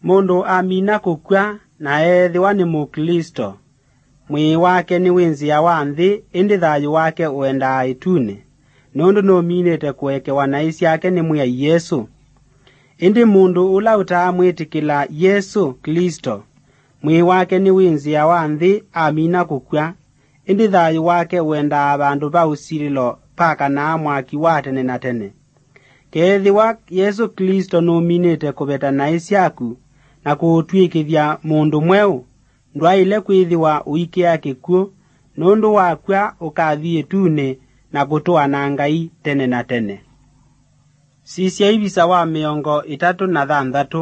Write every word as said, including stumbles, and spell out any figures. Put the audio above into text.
Mũndũ amina kũkw'a na eethĩwa nĩ Mũklĩsto, mwĩĩ wake nĩwĩnzĩawa nthĩ, ĩndĩ thayũ wake ũendaa ĩtunĩ, nũndũ nũminĩte kũekewa naĩ syake nĩ Mwĩai Yesũ. Ĩndĩ mũndũ ũla ũtaamwĩtĩkĩla Yesũ Klĩsto, mwĩĩ wake nĩwĩnzĩawa nthĩ amina kũkw'a, ĩndĩ thayũ wake ũendaa vandũ va ũsilĩlo pakanaa mwaki wa tene na tene. Keethĩwa Yesũ Klĩsto nũminĩte kũveta naĩ syaku na kũũtw'ĩkĩthya mũndũ mweũ, ndwaĩle kwĩthĩwa ũikĩa kĩkw'ũ, nũndũ wakw'a ũkathi ĩtunĩ na kũtũa na Ngai tene na tene. Sisya ivisa wa mĩongo ĩtatũ na thanthatũ.